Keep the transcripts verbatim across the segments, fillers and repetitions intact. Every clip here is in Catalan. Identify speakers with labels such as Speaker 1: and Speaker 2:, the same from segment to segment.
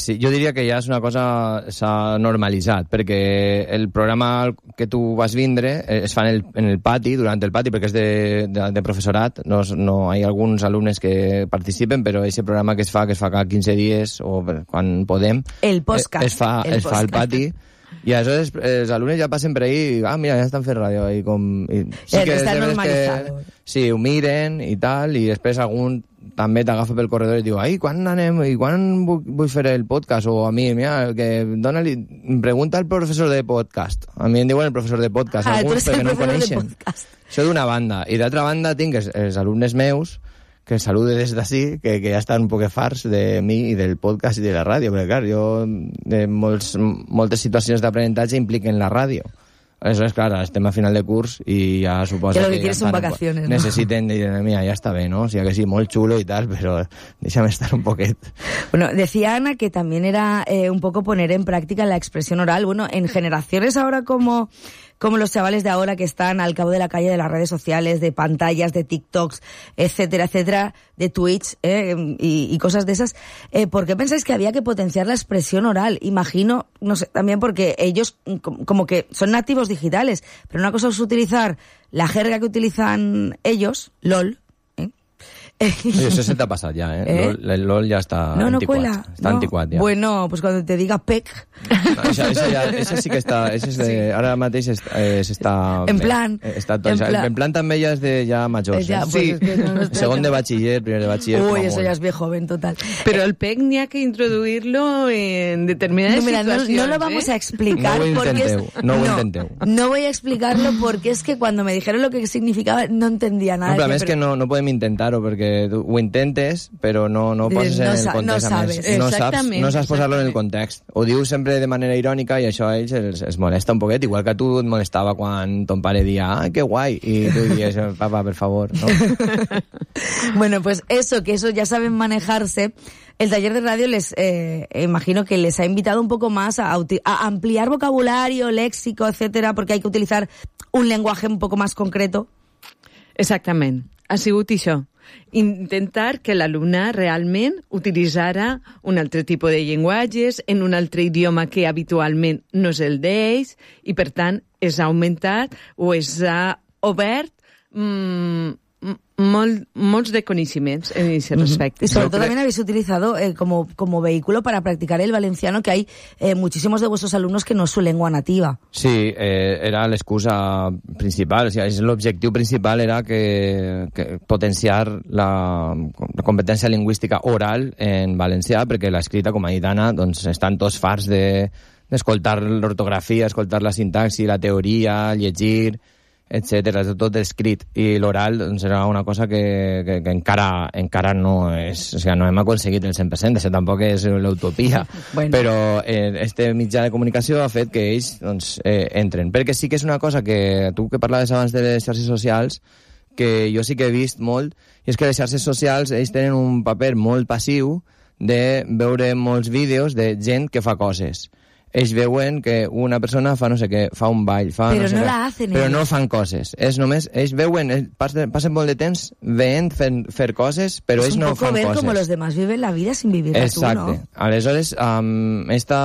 Speaker 1: sí, jo diria que ja és una cosa s'ha normalitzat, perquè el programa que tu vas vindre es fa en el, en el pati, durant el pati, perquè és de, de, de professorat, no, no hi ha alguns alumnes que participen, però aquest programa que es fa, que es fa cada quinze dies, o quan podem,
Speaker 2: el podcast,
Speaker 1: es fa,
Speaker 2: el
Speaker 1: es fa al pati, i aleshores els alumnes ja passen per ahí i, ah, mira, ja estan fent ràdio. I com, i
Speaker 2: sí que està normalitzat.
Speaker 1: Que, sí, ho miren i tal, i després algun també t'agafa pel corredor i diu, ai, quan anem, i quan vull, vull fer el podcast? O a mi, mira, que dona-li, em pregunta el professor de podcast. A mi em diuen el professor de podcast,
Speaker 2: ah,
Speaker 1: alguns perquè no ho coneixen. Això d'una banda. I d'altra banda tinc els, els alumnes meus, que salude des d'ací, que, que ja estan un poc farts de mi i del podcast i de la ràdio, perquè clar, jo de molts, moltes situacions d'aprenentatge impliquen la ràdio. Aleshores, clar, estem a final de curs i ja suposa
Speaker 2: que, lo
Speaker 1: que,
Speaker 2: que
Speaker 1: ja
Speaker 2: son vacaciones, ¿no?
Speaker 1: Necessiten dir, mira, ja està bé, ¿no? O sigui que sí, molt xulo i tal, però déjame estar un poquet.
Speaker 2: Bueno, decía Ana que también era eh, un poco poner en práctica la expresión oral. Bueno, en generaciones ahora como... como los chavales de ahora que están al cabo de la calle de las redes sociales, de pantallas, de TikToks, etcétera, etcétera, de Twitch eh, y, y cosas de esas, eh, ¿por qué pensáis que había que potenciar la expresión oral? Imagino, no sé, también porque ellos como que son nativos digitales, pero una cosa es utilizar la jerga que utilizan ellos, LOL,
Speaker 1: Oye, eso se te ha pasado ya, ¿eh? ¿Eh? LOL, el LOL ya está
Speaker 2: no, no
Speaker 1: anticuat.
Speaker 2: Cuela.
Speaker 1: Está
Speaker 2: no.
Speaker 1: anticuat, ya.
Speaker 2: Bueno, pues cuando te diga P E C.
Speaker 1: No, ese, ese, ya, ese sí que está... Ese es de, sí. Ahora mateix eh, está...
Speaker 2: En plan...
Speaker 1: Eh, está todo, en, plan. en plan també ja és de ja majors.
Speaker 2: Ya,
Speaker 1: eh?
Speaker 2: pues sí. Es que no, no
Speaker 1: Segon de bachiller, primer de bachiller...
Speaker 2: Uy, eso ya es viejo joven, total.
Speaker 3: Pero el P E C ni hay que introduirlo en determinadas
Speaker 2: no, mira,
Speaker 3: situaciones.
Speaker 2: No, no lo vamos
Speaker 3: ¿eh?
Speaker 2: a explicar.
Speaker 1: No ho
Speaker 2: porque
Speaker 1: intenteu,
Speaker 2: es,
Speaker 1: no ho
Speaker 2: no,
Speaker 1: intenteu.
Speaker 2: No voy a explicarlo porque es que cuando me dijeron lo que significaba no entendía nada.
Speaker 1: No, però
Speaker 2: que,
Speaker 1: és que no, no podem intentar-ho perquè tu ho intentes, però no, no ho poses
Speaker 2: no
Speaker 1: en el
Speaker 2: sa,
Speaker 1: context.
Speaker 2: No sabes.
Speaker 1: No saps, no saps posar-lo en el context. Ho dius sempre de manera irònica i això a ells els, els molesta un poquet, igual que a tu et molestava quan ton pare dia, ah, que guai, i tu dius, papá, per favor, ¿no?
Speaker 2: Bueno, pues eso, que eso ya saben manejarse. El taller de radio les eh, imagino que les ha invitado un poco más a, a ampliar vocabulario, léxico, etcétera, porque hay que utilizar un lenguaje un poco más concreto.
Speaker 3: Exactament. Ha sigut això. Intentar que l'alumne realment utilitzara un altre tipus de llenguatges en un altre idioma que habitualment no és el d'ells i, per tant, és augmentat o és obert mmm, Molt, molts de conocimientos en ese respecto.
Speaker 2: Y sobre todo también habéis utilizado eh, como, como vehículo para practicar el valenciano, que hay eh, muchísimos de vuestros alumnos que no es su lengua nativa.
Speaker 1: Sí, eh, era l'excusa principal, o sigui, l'objectiu principal era que, que potenciar la, la competència lingüística oral en valencià, perquè l'escrita, com ha dit Anna, doncs estan tots farts de, d'escoltar l'ortografia, escoltar la sintaxi, la teoria, llegir, etcètera, tot escrit, i l'oral doncs, era una cosa que, que, que encara, encara no és, o sigui, no hem aconseguit el cent per cent, això tampoc és l'utopia, bueno. Però eh, este mitjà de comunicació ha fet que ells doncs, eh, entren, perquè sí que és una cosa que tu que parlaves abans de les xarxes socials, que jo sí que he vist molt, i és que les xarxes socials ells tenen un paper molt passiu de veure molts vídeos de gent que fa coses. Ells veuen que una persona fa no sé què, fa un ball, fa
Speaker 2: però
Speaker 1: no sé
Speaker 2: no
Speaker 1: què,
Speaker 2: la hacen
Speaker 1: però
Speaker 2: ells.
Speaker 1: no fan coses. És només, ells veuen, ells passen, passen molt de temps veient fer, fer coses, però
Speaker 2: es
Speaker 1: ells no fan coses.
Speaker 2: Es un poco ver como los demás viven la vida sin vivirla tú, ¿no?
Speaker 1: Exacte. Aleshores, amb esta,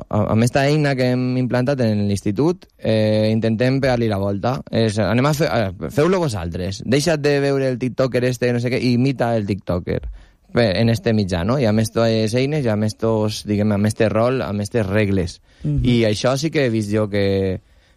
Speaker 1: amb esta eina que hem implantat en l'institut, eh, intentem pegar-li la volta. És, anem a fer, feu-lo vosaltres. Deixa't de veure el tiktoker este, no sé què, i imita el tiktoker. En este mitjà, no? I amb aquestes eines, i amb estos, diguem, amb este rol, amb aquestes regles. Uh-huh. I això sí que he vist jo que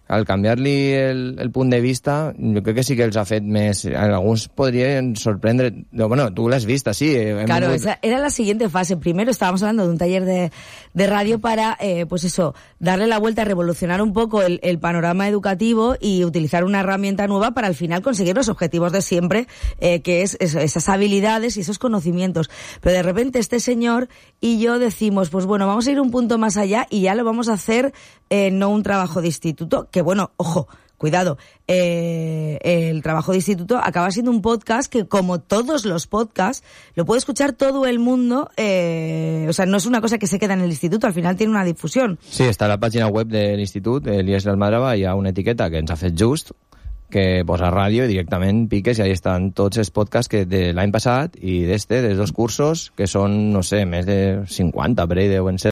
Speaker 1: al canviar-li el, el punt de vista, jo crec que sí que els ha fet més... Alguns podrien sorprendre... Bueno, tú lo has visto, sí.
Speaker 2: Claro, vingut... esa era la siguiente fase. Primero estábamos hablando de un taller de, de radio para, eh, pues eso, darle la vuelta, revolucionar un poco el, el panorama educativo y utilizar una herramienta nueva para al final conseguir los objetivos de siempre, eh, que es eso, esas habilidades y esos conocimientos. Pero de repente este señor y yo decimos, pues bueno, vamos a ir un punto más allá y ya lo vamos a hacer eh, no un trabajo de instituto, que bueno, ojo, cuidado, eh, el trabajo de instituto acaba siendo un podcast que, como todos los podcasts, lo puede escuchar todo el mundo, eh, o sea, no es una cosa que se queda en el instituto, al final tiene una difusión.
Speaker 1: Sí, està a la pàgina web de l'institut, l'I E S l'Almadrava, hi ha una etiqueta que ens ha fet just, que posa ràdio i directament piques i ahí estan tots els podcasts que de l'any passat i d'este, dels dos cursos, que són, no sé, més de cinquanta, per ahí deuen ser.